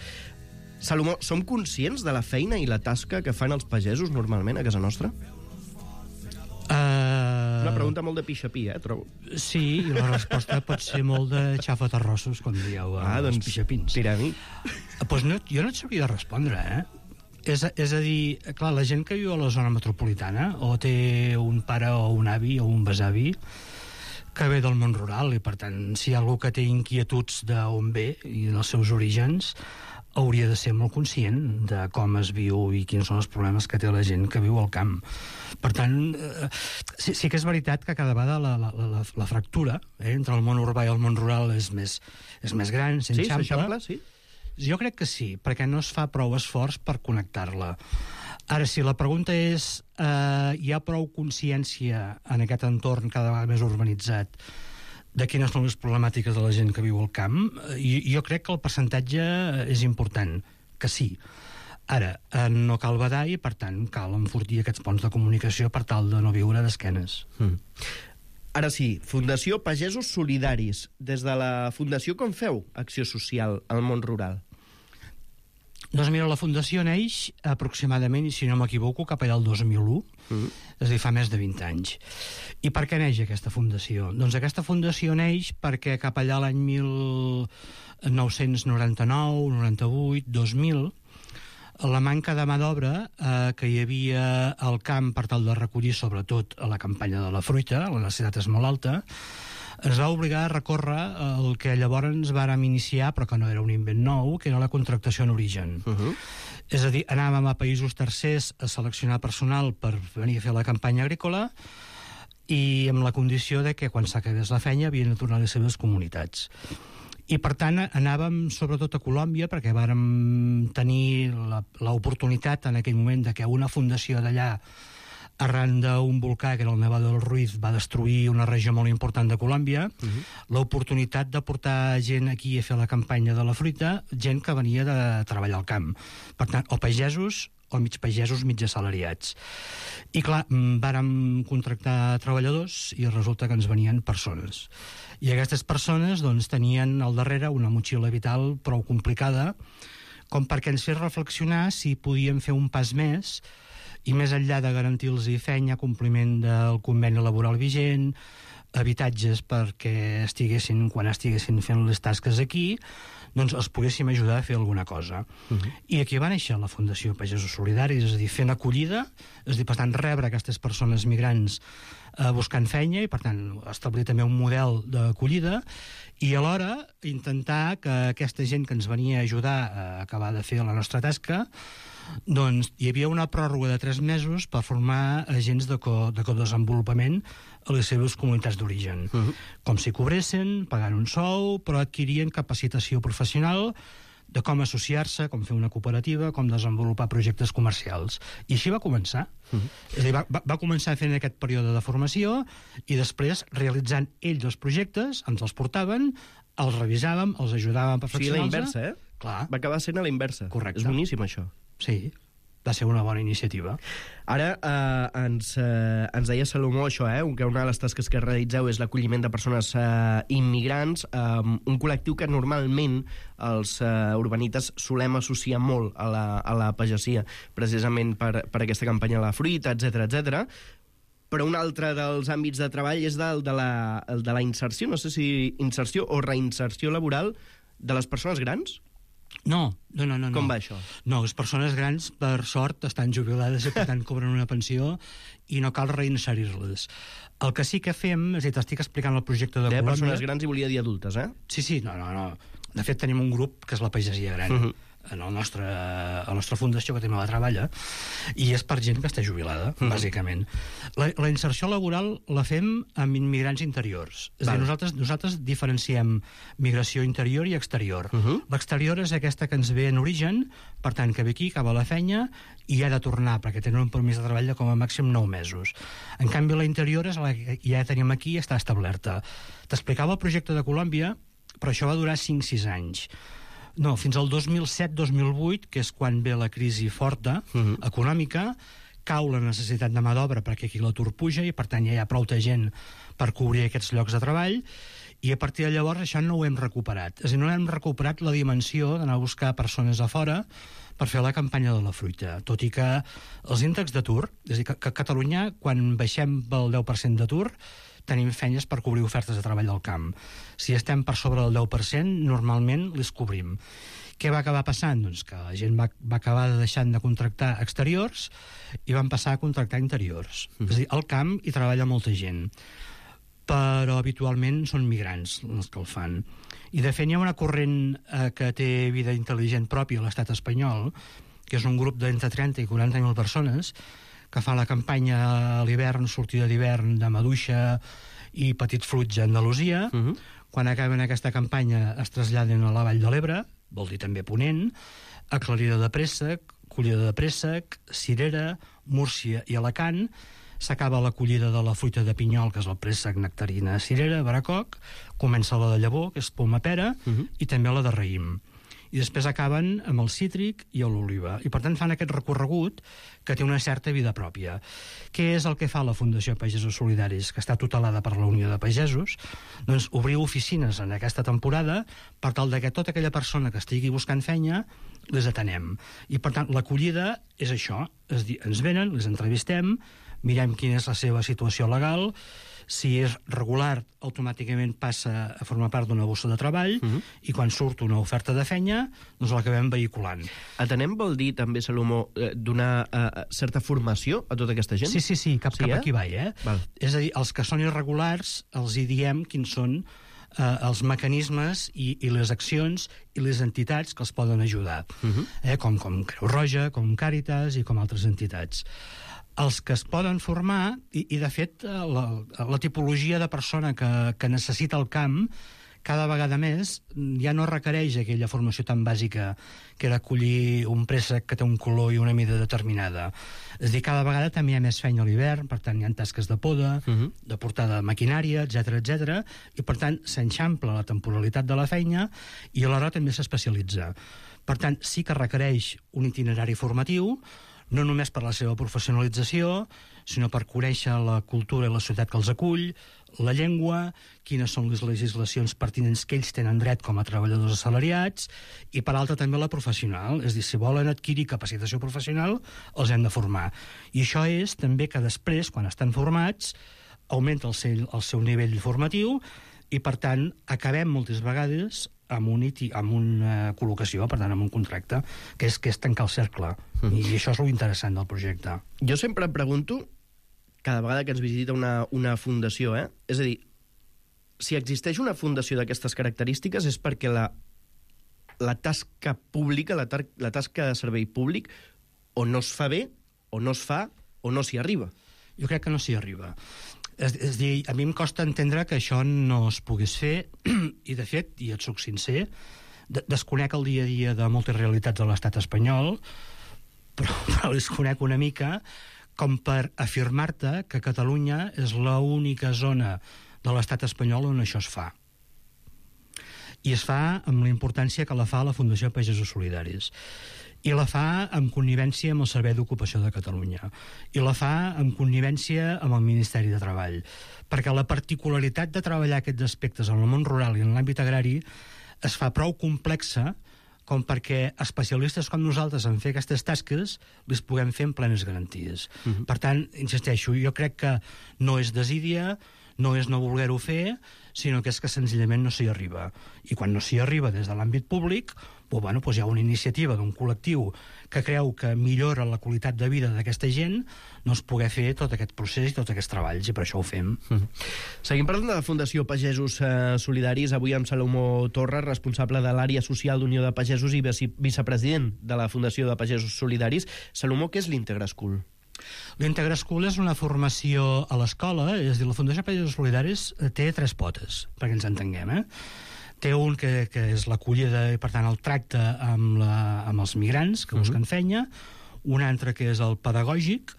Salomó, som conscients de la feina i la tasca que fan els pagesos normalment a casa nostra? Una pregunta molt de pixapí, trobo. Sí, i la resposta pot ser molt de xafatarrossos, com dieu, els pixapins. Tira a mi. Pues no, jo no et sabria respondre, És a dir, clar, la gent que viu a la zona metropolitana o té un pare o un avi o un besavi que ve del món rural i, per tant, si hi ha algú que té inquietuds d'on ve i dels seus orígens, hauria de ser molt conscient de com es viu i quins són els problemes que té la gent que viu al camp. Per tant, sí que és veritat que cada vegada la fractura entre el món urbà i el món rural és més gran, s'enxampla. Sí, s'eixampla, sí. Jo crec que sí, perquè no es fa prou esforç per connectar-la. Ara, si la pregunta és hi ha prou consciència en aquest entorn cada vegada més urbanitzat de quines són les problemàtiques de la gent que viu al camp, jo crec que el percentatge és important, que sí. Ara, no cal badar i, per tant, cal enfortir aquests ponts de comunicació per tal de no viure d'esquenes. Ara sí, Fundació Pagesos Solidaris. Des de la Fundació, com feu acció social al món rural? Doncs mira, la Fundació neix aproximadament, i si no m'equivoco, cap allà el 2001, és a dir, fa més de 20 anys. I per què neix aquesta fundació? Doncs aquesta fundació neix perquè cap allà l'any 1999, 98, 2000, la manca de mà d'obra que hi havia al camp per tal de recollir, sobretot a la campanya de la fruita, la necessitat és molt alta, ens va obligar a recórrer el que llavors ens vàrem iniciar, però que no era un invent nou, que era la contractació en origen. És a dir, anàvem a països tercers a seleccionar personal per venir a fer la campanya agrícola i amb la condició de que quan s'acabés la feina havien de tornar a les seves comunitats. I, per tant, anàvem sobretot a Colòmbia perquè vàrem tenir l'oportunitat en aquell moment de que una fundació d'allà, arran d'un volcà, que era el Nevado del Ruiz, va destruir una regió molt important de Colòmbia, l'oportunitat de portar gent aquí a fer la campanya de la fruita, gent que venia de treballar al camp. Per tant, o pagesos o mig pagesos, mig assalariats. I clar, vàrem contractar treballadors i resulta que ens venien persones. I aquestes persones doncs, tenien al darrere una motxilla vital prou complicada com perquè ens fes reflexionar si podíem fer un pas més i més enllà de garantir-los feina, compliment del conveni laboral vigent, habitatges perquè quan estiguessin fent les tasques aquí, doncs els poguéssim ajudar a fer alguna cosa. I aquí va néixer la Fundació Pagesos Solidaris, és a dir, fent acollida, és a dir, per tant, rebre aquestes persones migrants buscant feina i, per tant, establir també un model d'acollida i alhora intentar que aquesta gent que ens venia a ajudar a acabar de fer la nostra tasca, doncs hi havia una pròrroga de 3 mesos per formar agents de codesenvolupament a les seves comunitats d'origen. Com si cobressin, pagant un sou, però adquirien capacitació professional de com associar-se, com fer una cooperativa, com desenvolupar projectes comercials. I així va començar. És a dir, va començar fent aquest període de formació i després, realitzant ells els projectes, ens els portaven, els revisàvem, els ajudàvem a perfeccionar-se. Sí, la inversa, Clar. Va acabar sent a la inversa. Correcte. És boníssim, això. Sí, va ser una bona iniciativa. Ara ens deia Salomó això, que una de les tasques que realitzeu és l'acolliment de persones immigrants, un col·lectiu que normalment els urbanites solem associar molt a la pagesia, precisament per aquesta campanya a la fruita, etc. Però un altre dels àmbits de treball és el de la inserció, no sé si inserció o reinserció laboral de les persones grans? No. Com va això? No, les persones grans, per sort, estan jubilades i per tant cobren una pensió i no cal reinserir-les. El que sí que fem, és a dir, t'estic explicant el projecte de Colòmbia... persones grans i volia dir adultes, Sí, no. De fet, tenim un grup que és la pagesia gran. En la nostra fundació que també la treballa, i és per gent que està jubilada, bàsicament. La inserció laboral la fem amb immigrants interiors. És a dir, nosaltres diferenciem migració interior i exterior. L'exterior és aquesta que ens ve en origen, per tant, que ve aquí, acaba la feina, i ha de tornar, perquè tenen un permís de treball de com a màxim 9 mesos. En canvi, la interior és la que ja tenim aquí i està establerta. T'explicava el projecte de Colòmbia, però això va durar 5-6 anys. No, fins al 2007-2008, que és quan ve la crisi forta, econòmica, cau la necessitat de mà d'obra perquè aquí l'atur puja i, per tant, ja hi ha prou de gent per cobrir aquests llocs de treball, i a partir de llavors això no ho hem recuperat. És a dir, no hem recuperat la dimensió d'anar a buscar persones a fora per fer la campanya de la fruita, tot i que els índexs d'atur, és a dir, que a Catalunya, quan baixem pel 10% d'atur, tenim feines per cobrir ofertes de treball al camp. Si estem per sobre del 10%, normalment les cobrim. Què va acabar passant? Doncs que la gent va acabar deixant de contractar exteriors i van passar a contractar interiors. És a dir, al camp hi treballa molta gent, però habitualment són migrants els que el fan. I de fet hi ha una corrent que té vida intel·ligent pròpia a l'estat espanyol, que és un grup d'entre 30 i 40.000 persones que fa la campanya a l'hivern, sortida d'hivern de maduixa i petit fruit a Andalusia. Quan acaben aquesta campanya es traslladen a la Vall de l'Ebre, vol dir també Ponent, Aclarida de Préssec, Collida de Préssec, Cirera, Múrcia i Alacant. S'acaba l'acollida de la fruita de pinyol, que és el préssec, nectarina, cirera, baracoc, comença la de llavor, que és poma pera, i també la de raïm. I després acaben amb el cítric i l'oliva. I per tant fan aquest recorregut que té una certa vida pròpia. Què és el que fa la Fundació Pagesos Solidaris, que està tutelada per la Unió de Pagesos? Doncs obrir oficines en aquesta temporada per tal que tota aquella persona que estigui buscant feina les atenem. I per tant l'acollida és això, és dir, ens venen, les entrevistem, mirem quina és la seva situació legal, si és regular, automàticament passa a formar part d'una bossa de treball, i quan surt una oferta de feina, doncs l'acabem vehiculant. Atenem vol dir també, Salomó, donar certa formació a tota aquesta gent? Sí, cap aquí va, Val. És a dir, els que són irregulars els hi diem quins són els mecanismes i les accions i les entitats que els poden ajudar, com Creu Roja, com Càritas i com altres entitats. Els que es poden formar, i de fet la tipologia de persona que necessita el camp cada vegada més ja no requereix aquella formació tan bàsica que era collir un préssec que té un color i una mida determinada. És a dir, cada vegada també hi ha més feina a l'hivern, per tant hi ha tasques de poda, de portada de maquinària, etc, i per tant s'enxampla la temporalitat de la feina i alhora també s'especialitza. Per tant, sí que requereix un itinerari formatiu, no només per la seva professionalització, sinó per conèixer la cultura i la societat que els acull, la llengua, quines són les legislacions pertinents que ells tenen dret com a treballadors assalariats, i per altra també la professional, és a dir, si volen adquirir capacitació professional, els hem de formar. I això és també que després, quan estan formats, augmenta el seu nivell formatiu i, per tant, acabem moltes vegades amb una col·locació, per tant, amb un contracte, que és tancar el cercle. I això és l'interessant del projecte. Jo sempre em pregunto, cada vegada que ens visita una fundació, és a dir, si existeix una fundació d'aquestes característiques és perquè la tasca pública, la tasca de servei públic, o no es fa bé, o no es fa, o no s'hi arriba. Jo crec que no s'hi arriba. És a dir, a mi em costa entendre que això no es pogués fer, i de fet, i et soc sincer, desconec el dia a dia de moltes realitats de l'estat espanyol, però les conec una mica, com per afirmar-te que Catalunya és l'única zona de l'estat espanyol on això es fa. I es fa amb la importància que la fa la Fundació Pagesos Solidaris. I la fa amb connivència amb el Servei d'Ocupació de Catalunya. I la fa amb connivència amb el Ministeri de Treball. Perquè la particularitat de treballar aquests aspectes en el món rural i en l'àmbit agrari es fa prou complexa com perquè especialistes com nosaltres en fer aquestes tasques les puguem fer amb plenes garanties. Per tant, insisteixo, jo crec que no és desídia, no és no voler-ho fer, sinó que és que senzillament no s'hi arriba. I quan no s'hi arriba des de l'àmbit públic, doncs hi ha una iniciativa d'un col·lectiu que creu que millora la qualitat de vida d'aquesta gent, doncs poder fer tot aquest procés i tots aquests treballs, i per això ho fem. Seguim parlant de la Fundació Pagesos Solidaris, avui amb Salomó Torres, responsable de l'àrea social d'Unió de Pagesos i vicepresident de la Fundació de Pagesos Solidaris. Salomó, què és l'Integra School? L'Integra School és una formació a l'escola, és a dir, la Fundació Pagesos Solidaris té 3 potes, perquè ens entenguem, Té un que és l'acollida i, per tant, el tracte amb els migrants que busquen feina, un altre que és el pedagògic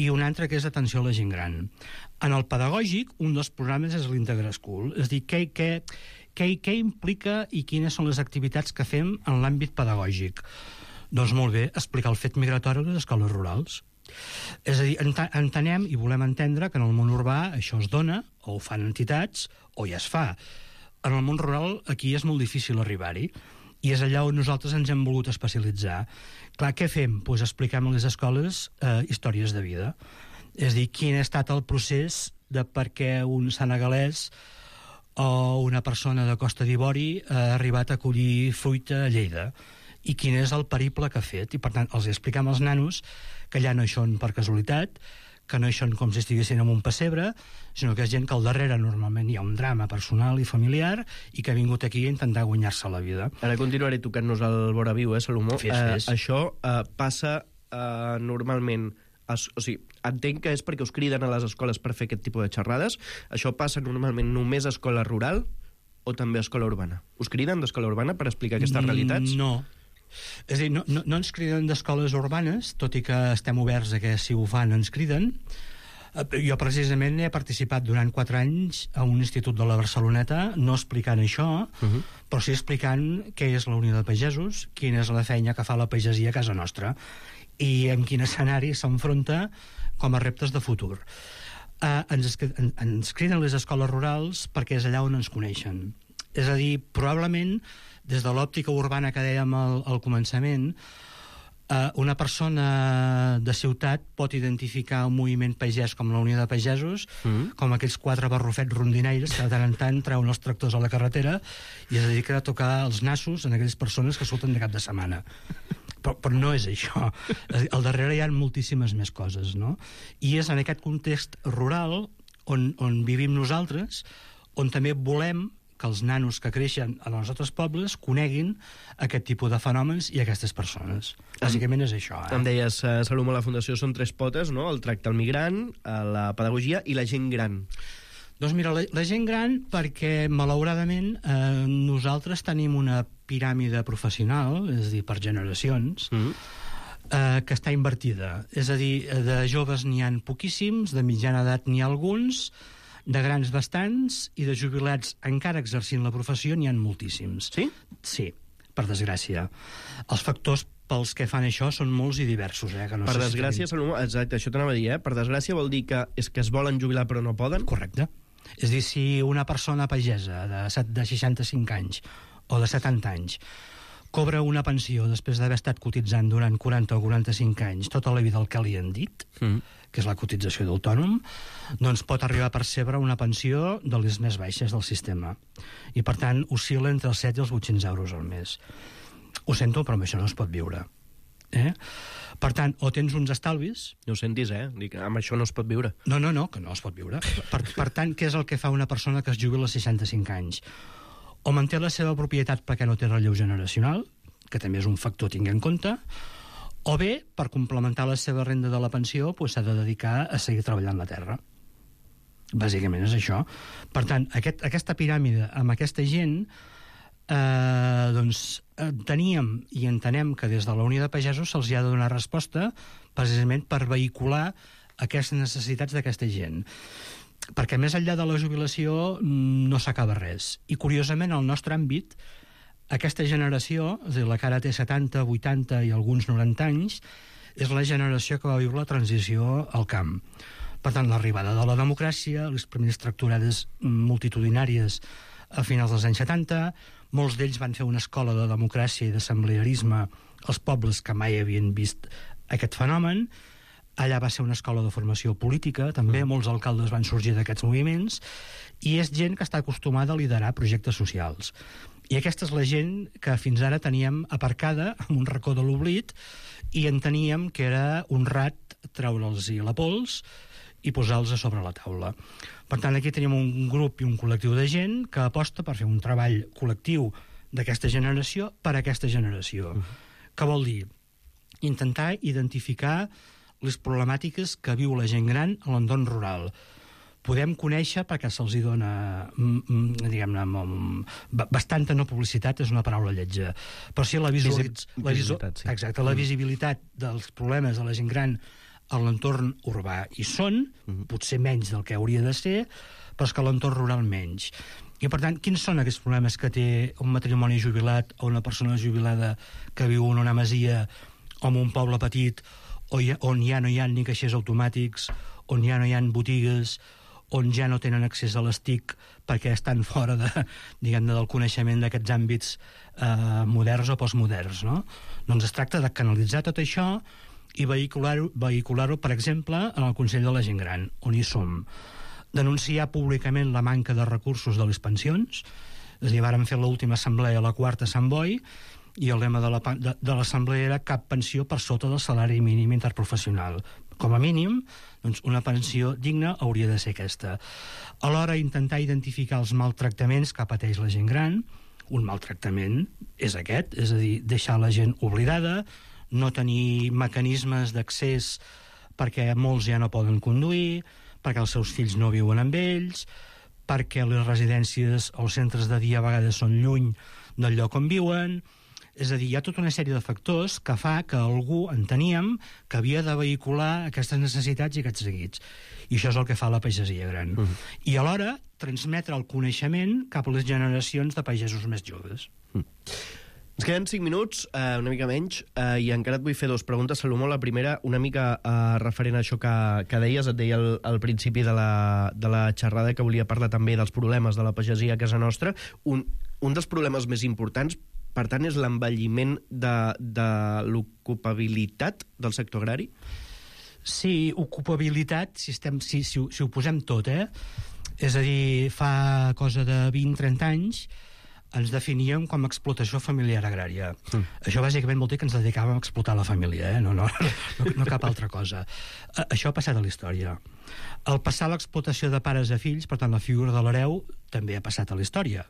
i un altre que és atenció a la gent gran. En el pedagògic, un dels programes és l'Integra School, és a dir, què implica i quines són les activitats que fem en l'àmbit pedagògic? Doncs molt bé, explicar el fet migratori a les escoles rurals. És a dir, entenem i volem entendre que en el món urbà això es dona, o ho fan entitats, o ja es fa. En el món rural aquí és molt difícil arribar-hi, i és allà on nosaltres ens hem volgut especialitzar. Clar, què fem? Doncs expliquem a les escoles històries de vida. És a dir, quin ha estat el procés de per què un senegalès o una persona de Costa d'Ivori ha arribat a collir fruita a Lleida, i quin és el periple que ha fet. I, per tant, els expliquem als nanos que allà no hi són per casualitat, que no hi són com si estiguessin en un pessebre, sinó que és gent que al darrere normalment hi ha un drama personal i familiar i que ha vingut aquí a intentar guanyar-se la vida. Ara continuaré tocant-nos el vora viu, Salomó. Fes. Això passa normalment... O sigui, entenc que és perquè us criden a les escoles per fer aquest tipus de xerrades. Això passa normalment només a escola rural o també a escola urbana? Us criden d'escola urbana per explicar aquestes realitats? No. És a dir, no ens criden d'escoles urbanes, tot i que estem oberts a que si ho fan ens criden. Jo precisament he participat durant 4 anys a un institut de la Barceloneta, no explicant això, però sí explicant què és la Unió de Pagesos, quina és la feina que fa la pagesia a casa nostra i en quin escenari s'enfronta com a reptes de futur. Ens criden les escoles rurals perquè és allà on ens coneixen. És a dir, probablement, des de l'òptica urbana que dèiem al començament, una persona de ciutat pot identificar un moviment pagès com la Unió de Pagesos, com aquells 4 barrufets rondinaires que de tant en tant treuen els tractors a la carretera i es dediquen a tocar els nassos en aquelles persones que surten de cap de setmana. Però no és això. Al darrere hi ha moltíssimes més coses, no? I és en aquest context rural on vivim nosaltres, on també volem que els nanos que creixen en els altres pobles coneguin aquest tipus de fenòmens i aquestes persones. Bàsicament és això. Em deies, Salomó, la Fundació són 3 potes, no? El tracte al migrant, la pedagogia i la gent gran. Doncs mira, la gent gran, perquè malauradament nosaltres tenim una piràmide professional, és a dir, per generacions, que està invertida. És a dir, de joves n'hi ha poquíssims, de mitjana edat n'hi ha alguns, de grans bastants, i de jubilats encara exercint la professió n'hi ha moltíssims. Sí? Sí, per desgràcia. Els factors pels que fan això són molts i diversos. Que no per sé desgràcia, Salomó, exacte, això t'anava a dir, per desgràcia vol dir que és que es volen jubilar però no poden? Correcte. És a dir, si una persona pagesa de 65 anys o de 70 anys cobra una pensió després d'haver estat cotitzant durant 40 o 45 anys tota la vida el que li han dit, que és la cotització d'autònom, doncs pot arribar a percebre una pensió de les més baixes del sistema. I, per tant, oscil·la entre els 7 i els 800 euros al mes. Ho sento, però amb això no es pot viure. Per tant, o tens uns estalvis... No ho sentis, Dic, amb això no es pot viure. No, que no es pot viure. Per tant, què és el que fa una persona que es jubila als 65 anys? O manté la seva propietat perquè no té relleu generacional, que també és un factor a tenir en compte, o bé, per complementar la seva renda de la pensió, s'ha de dedicar a seguir treballant la terra. Bàsicament és això. Per tant, aquesta piràmide amb aquesta gent... teníem i entenem que des de la Unió de Pagesos se'ls ha de donar resposta precisament per vehicular aquestes necessitats d'aquesta gent, perquè més enllà de la jubilació no s'acaba res. I curiosament al nostre àmbit aquesta generació, és a dir, la que ara té 70, 80 i alguns 90 anys, és la generació que va viure la transició al camp. Per tant, l'arribada de la democràcia, les primeres tractorades multitudinàries a finals dels anys 70, molts d'ells van fer una escola de democràcia i d'assemblearisme als pobles que mai havien vist aquest fenomen. Allà va ser una escola de formació política, també molts alcaldes van sorgir d'aquests moviments, i és gent que està acostumada a liderar projectes socials. I aquesta és la gent que fins ara teníem aparcada en un racó de l'oblit i enteníem que era honrat treure'ls-hi la pols i posar-los a sobre la taula. Per tant, aquí tenim un grup i un col·lectiu de gent que aposta per fer un treball col·lectiu d'aquesta generació per a aquesta generació. Què vol dir? Intentar identificar les problemàtiques que viu la gent gran a l'entorn rural. Podem conèixer, perquè se'ls dona diguem-ne bastanta no publicitat, és una paraula lletja, però sí la visibilitat, exacte, la visibilitat dels problemes de la gent gran a l'entorn urbà hi són, potser menys del que hauria de ser, però és que a l'entorn rural menys. I, per tant, quins són aquests problemes que té un matrimoni jubilat o una persona jubilada que viu en una masia o en un poble petit on ja no hi ha ni caixers automàtics, on ja no hi ha botigues, on ja no tenen accés a les TIC perquè estan fora del coneixement d'aquests àmbits moderns o postmoderns, no? Doncs es tracta de canalitzar tot això i vehicular-ho, per exemple, en el Consell de la Gent Gran, on hi som. Denunciar públicament la manca de recursos de les pensions, és a dir, vàrem fer l'última assemblea, la quarta a Sant Boi, i el lema de l'assemblea era cap pensió per sota del salari mínim interprofessional. Com a mínim, doncs una pensió digna hauria de ser aquesta. Alhora, intentar identificar els maltractaments que pateix la gent gran. Un maltractament és aquest, és a dir, deixar la gent oblidada, no tenir mecanismes d'accés perquè molts ja no poden conduir, perquè els seus fills no viuen amb ells, perquè les residències o els centres de dia a vegades són lluny del lloc on viuen. És a dir, hi ha tota una sèrie de factors que fa que algú enteníem que havia de vehicular aquestes necessitats i aquests seguits. I això és el que fa la pagesia gran. I alhora transmetre el coneixement cap a les generacions de pagesos més joves. Ens queden 5 minuts, una mica menys, i encara et vull fer 2 preguntes, Salomó. La primera, una mica referent a això que deies, et deia al principi de la xerrada que volia parlar també dels problemes de la pagesia a casa nostra. Un dels problemes més importants, per tant, és l'envelliment de l'ocupabilitat del sector agrari? Sí, ocupabilitat, si ho posem tot, És a dir, fa cosa de 20-30 anys ens definíem com a explotació familiar agrària. Això bàsicament vol dir que ens dedicàvem a explotar la família, no cap altra cosa. Això ha passat a la història. Al passar l'explotació de pares a fills, per tant la figura de l'hereu, també ha passat a la història.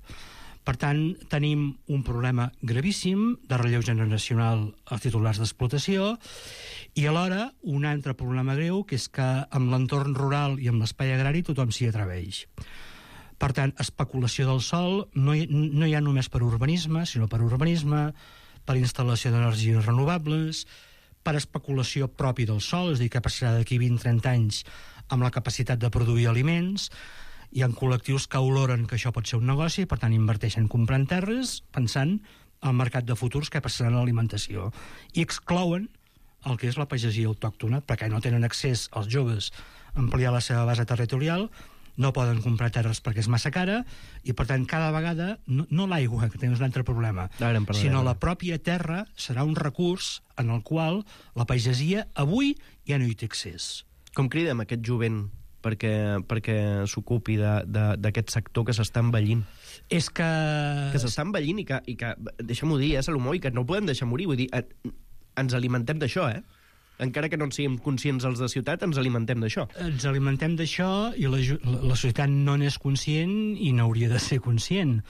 Per tant, tenim un problema gravíssim de relleu generacional als titulars d'explotació i alhora un altre problema greu, que és que amb l'entorn rural i amb l'espai agrari tothom s'hi atreveix. Per tant, especulació del sòl no hi ha només per urbanisme, sinó per urbanisme, per instal·lació d'energies renovables, per especulació propi del sòl, és a dir, que passarà d'aquí 20-30 anys amb la capacitat de produir aliments. Hi ha col·lectius que oloren que això pot ser un negoci, per tant inverteixen comprant terres pensant al mercat de futurs que passaran a l'alimentació. I exclouen el que és la pagesia autòctona, perquè no tenen accés els joves a ampliar la seva base territorial, no poden comprar terres perquè és massa cara, i per tant cada vegada, no l'aigua, que tens un altre problema, sinó la pròpia terra serà un recurs en el qual la pagesia avui ja no hi té accés. Com cridem aquest jovent perquè s'ocupi d'aquest sector que s'està envellint? És que s'està envellint i que deixa'm-ho dir, Salomó, i que no ho podem deixar morir. Vull dir, ens alimentem d'això, encara que no en siguem conscients els de ciutat, ens alimentem d'això. Ens alimentem d'això i la societat no n'és conscient i n'hauria de ser conscient.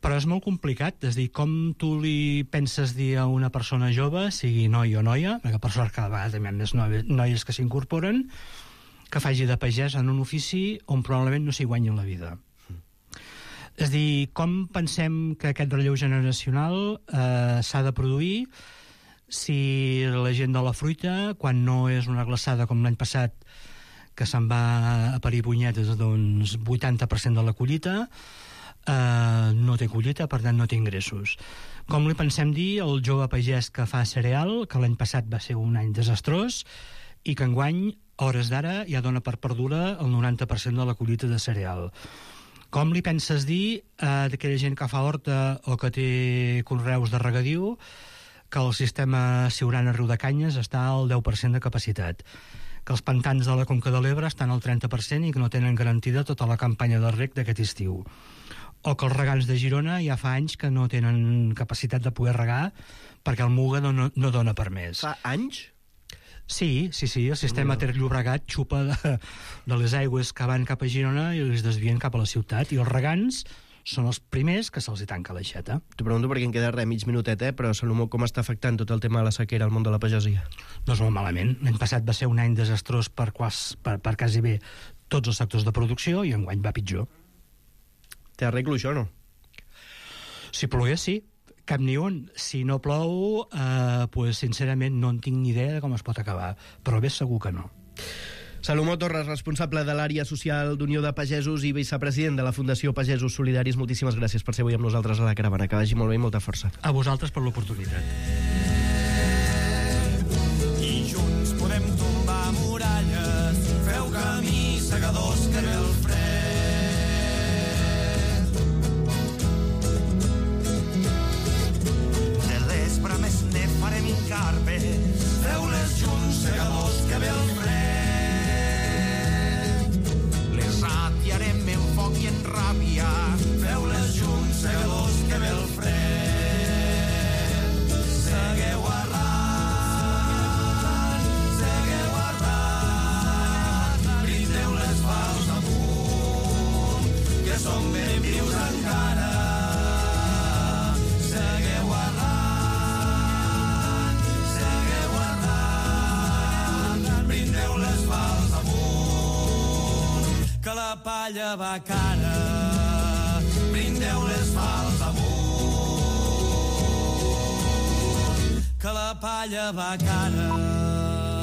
Però és molt complicat, és a dir, com tu li penses dir a una persona jove, sigui noi o noia, perquè per sort cada vegada també hi ha més noies que s'incorporen, que faci de pagès en un ofici on probablement no s'hi guanyi la vida. És a dir, com pensem que aquest relleu generacional s'ha de produir si la gent de la fruita, quan no és una glaçada com l'any passat, que se'n va a parir punyetes, doncs 80% de la collita, no té collita, per tant no té ingressos. Com li pensem dir al jove pagès que fa cereal, que l'any passat va ser un any desastrós, i que enguany, hores d'ara, ja dona per perduda el 90% de la collita de cereal. Com li penses dir a aquella gent que fa horta o que té conreus de regadiu que el sistema Siurana-Riu de Canyes està al 10% de capacitat, que els pantans de la Conca de l'Ebre estan al 30% i que no tenen garantida tota la campanya de reg d'aquest estiu, o que els regants de Girona ja fa anys que no tenen capacitat de poder regar perquè el Muga no dona per més. Fa anys? Sí, el sistema Ter Llobregat xupa de les aigües que van cap a Girona i les desvien cap a la ciutat, i els regants són els primers que se'ls hi tanca l'aixeta. T'ho pregunto perquè em queda mig minutet, però Salomó, com està afectant tot el tema de la sequera al món de la pagesia? Doncs molt malament. L'any passat va ser un any desastrós per quasi bé tots els sectors de producció i enguany va pitjor. Té arreglo això, no? Si plogués, sí. Cap ni un. Si no plou, pues, sincerament no en tinc ni idea de com es pot acabar, però bé segur que no. Salomó Torres, responsable de l'àrea social d'Unió de Pagesos i vicepresident de la Fundació Pagesos Solidaris, moltíssimes gràcies per ser avui amb nosaltres a la caravana. Que vagi molt bé i molta força. A vosaltres per l'oportunitat. I junts podem tombar muralles, feu camí, segadors, que ve el fred. De l'espre més ne farem incarpes, feu-les junts, segadors, que ve el fred. Ratiarem en foc i en ràbia, feu-les junts, segadors, que ve el fred. Segueu arran, brindeu les pals amunt, que som ben vius encara. Segueu arran, brindeu les pals amunt, que la palla va cara, brindeu les pals amunt, que la palla va cara.